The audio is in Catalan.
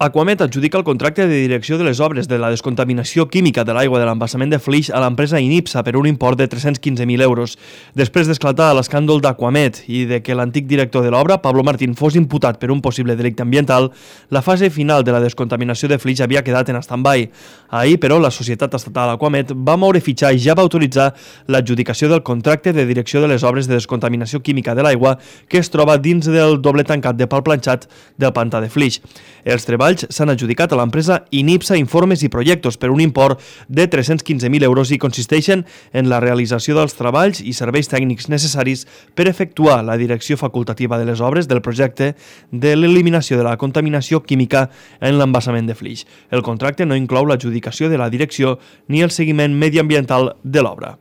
Aquamet adjudica el contracte de direcció de les obres de la descontaminació química de l'aigua de l'embassament de Flix a l'empresa Inipsa per un import de 315.000 euros. Després d'esclatar l'escàndol d'Aquamet i de que l'antic director de l'obra, Pablo Martín, fos imputat per un possible delicte ambiental, la fase final de la descontaminació de Flix havia quedat en stand-by. Ahir, però, la societat estatal Aquamet va moure fitxar i ja va autoritzar l'adjudicació del contracte de direcció de les obres de descontaminació química de l'aigua que es troba dins del doble tancat de pal planxat del pantà de Flix. Els treballs s'han adjudicat a l'empresa Inipsa Informes i Projectos per un import de 315.000 euros i consisteixen en la realització dels treballs i serveis tècnics necessaris per efectuar la direcció facultativa de les obres del projecte de l'eliminació de la contaminació química en l'embassament de Flix. El contracte no inclou l'adjudicació de la direcció ni el seguiment mediambiental de l'obra.